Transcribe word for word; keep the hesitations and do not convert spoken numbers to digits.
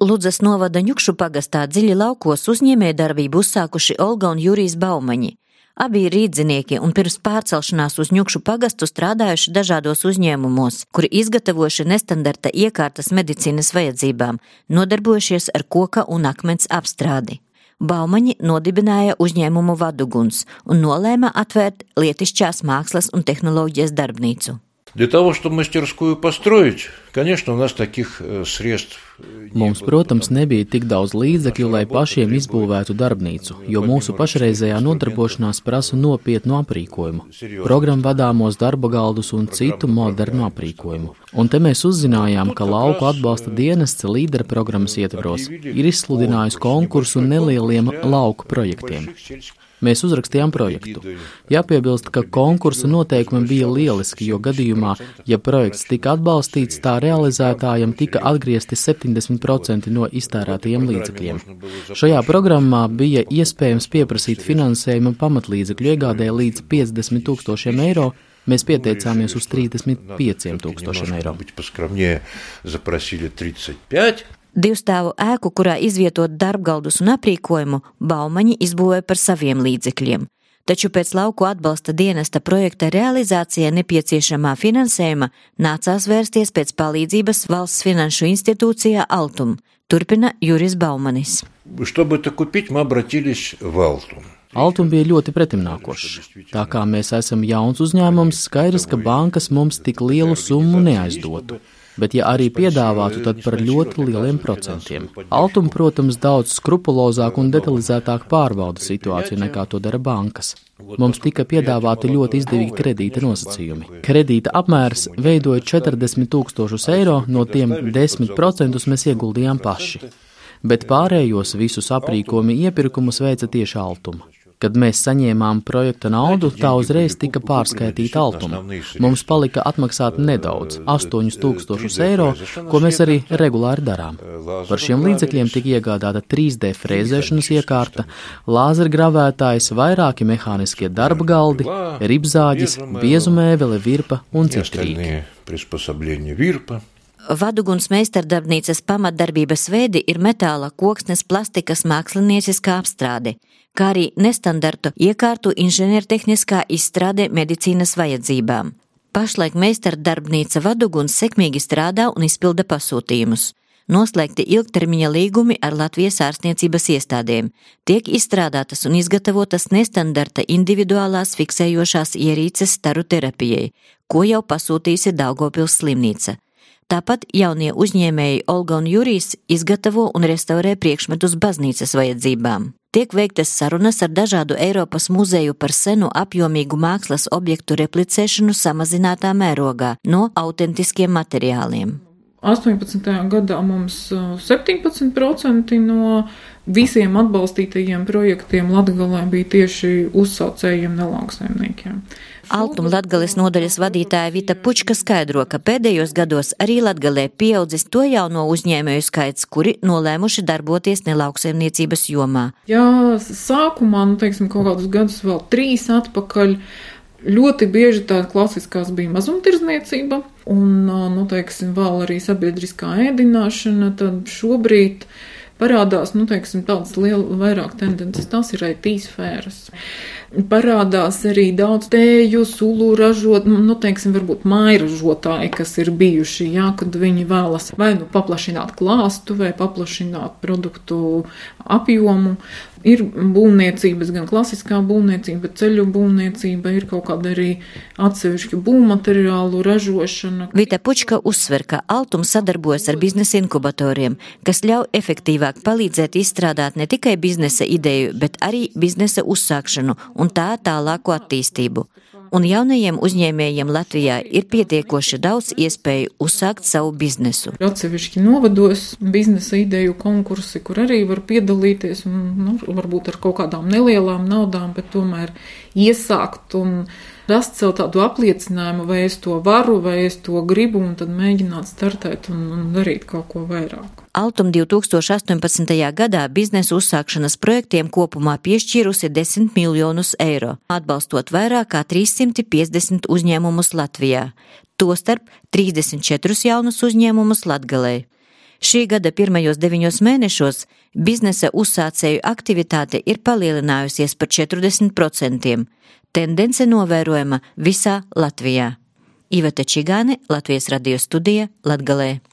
Ludzas novada Ņukšu pagastā Dziļi laukos uzņēmējdarbību uzsākuši Olga un Jurijs Baumaņi. Abi ir rīdzinieki un pirms pārcelšanās uz Ņukšu pagastu strādājuši dažādos uzņēmumos, kuri izgatavojuši nestandarta iekārtas medicīnas vajadzībām, nodarbojušies ar koka un akmens apstrādi. Baumaņi nodibināja uzņēmumu Vaduguns un nolēma atvērt lietišķās mākslas un tehnoloģijas darbnīcu. Для того, чтобы мастерскую построить, конечно, у нас таких средств. Mums, protams, nebija tik daudz līdzekļu, lai pašiem izbūvētu darbnīcu, jo mūsu pašreizējā nodarbošanās prasa nopietnu aprīkojumu, programmvadāmos darba galdus un citu modernu aprīkojumu. Un te mēs uzzinājām, ka lauku atbalsta dienests līdera programmas ietvaros ir izsludinājusi konkursu nelieliem lauku projektiem. Mēs uzrakstījām projektu. Jāpiebilst, ka konkursa noteikumi bija lieliski, jo gadījumā, ja projekts tika atbalstīts, tā realizētājam tika atgriezti septiņdesmit procenti no iztērētajiem līdzekļiem. Šajā programmā bija iespējams pieprasīt finansējumu pamatlīdzekļu iegādē līdz piecdesmit tūkstošiem eiro. Mēs pieteicāmies uz trīsdesmit pieciem tūkstošiem eiro. Divstāvu ēku, kurā izvietot darbgaldus un aprīkojumu, Baumaņi izbūvēja par saviem līdzekļiem. Taču pēc lauku atbalsta dienesta projekta realizācijai nepieciešamā finansējuma nācās vērsties pēc palīdzības valsts finanšu institūcijā Altum, turpina Jurijs Baumanis. Altum bija ļoti pretimnākošs. Tā kā mēs esam jauns uzņēmums, skaidrs, ka bankas mums tik lielu summu neaizdotu. Bet ja arī piedāvātu, tad par ļoti lieliem procentiem. Altum, protams, daudz skrupulozāk un detalizētāk pārbauda situāciju nekā to dara bankas. Mums tika piedāvāti ļoti izdevīgi kredīta nosacījumi. Kredīta apmērs veidoja četrdesmit tūkstošus eiro, no tiem desmit procentus mēs ieguldījām paši. Bet pārējos visus aprīkojumu iepirkumus veica tieši Altuma. Kad mēs saņēmām projekta naudu, tā uzreiz tika pārskaitīta Altuma. Mums palika atmaksāt nedaudz, astoņus tūkstošus eiro, ko mēs arī regulāri darām. Par šiem līdzekļiem tika iegādāta trīs D frēzēšanas iekārta, lāzergravētājs, vairāki mehāniskie darba galdi, ribzāģis, biezumēvele, virpa un citi rīki. Vaduguns meistardarbnīcas pamatdarbības veidi ir metāla, koksnes, plastikas mākslinieciskā apstrāde, kā arī nestandartu iekārtu inženiertehniskā izstrāde medicīnas vajadzībām. Pašlaik meistardarbnīca Vaduguns sekmīgi strādā un izpilda pasūtījumus. Noslēgti ilgtermiņa līgumi ar Latvijas ārstniecības iestādēm. Tiek izstrādātas un izgatavotas nestandarta individuālās fiksējošās ierīces staru terapijai, ko jau pasūtījusi Daugavpils slimnīca. Tāpat jaunie uzņēmēji Olga un Jurijs izgatavo un restaurē priekšmetus baznīcas vajadzībām. Tiek veiktas sarunas ar dažādu Eiropas muzeju par senu apjomīgu mākslas objektu replicēšanu samazinātā mērogā no autentiskiem materiāliem. astoņpadsmitajā gadā mums septiņpadsmit procenti no visiem atbalstītajiem projektiem Latgalē bija tieši uzsaucējiem nelauksaimniekiem. Altum Latgales nodaļas vadītāja Vita Pučka skaidro, ka pēdējos gados arī Latgalē pieaudzis to jauno uzņēmēju skaits, kuri nolēmuši darboties nelauksaimniecības jomā. Jā, sākumā, nu, teiksim, kaut kādus gadus vēl trīs atpakaļ, ļoti bieži tā klasiskās bija mazumtirdzniecība un, nu, teiksim, vēl arī sabiedriskā ēdināšana, tad šobrīd parādās, nu, teiksim, tādas liela vairāk tendences, tās ir I T sfēras. Parādās arī daudz tēju, sulu ražot, nu, teiksim, varbūt mājražotāji, kas ir bijuši, jā, kad viņi vēlas vai nu paplašināt klāstu, vai paplašināt produktu apjomu. Ir būvniecības, gan klasiskā būvniecība, ceļu būvniecība, ir kaut kāda arī atsevišķa būvmateriālu ražošana. Vita Pučka uzsver, ka Altum sadarbojas ar biznesa inkubatoriem, kas ļauj efektīvāk palīdzēt izstrādāt ne tikai biznesa ideju, bet arī biznesa uzsākšanu un tā tālāko attīstību. Un jaunajiem uzņēmējiem Latvijā ir pietiekoši daudz iespēju uzsākt savu biznesu. Atsevišķi novados biznesa ideju konkursi, kur arī var piedalīties, un, nu, varbūt ar kaut kādām nelielām naudām, bet tomēr iesākt un rast sev tādu apliecinājumu, vai es to varu, vai es to gribu, un tad mēģināt startēt un, un darīt kaut ko vairāk. Altum divi tūkstoši astoņpadsmitajā gadā biznesa uzsākšanas projektiem kopumā piešķīrusi desmit miljonus eiro, atbalstot vairāk kā trīssimt piecdesmit uzņēmumus Latvijā, tostarp trīsdesmit četrus jaunus uzņēmumus Latgalē. Šī gada pirmajos deviņos mēnešos biznesa uzsācēju aktivitāte ir palielinājusies par četrdesmit procentiem. Tendence novērojama visā Latvijā. Iveta Čigāne, Latvijas radio studija, Latgalē.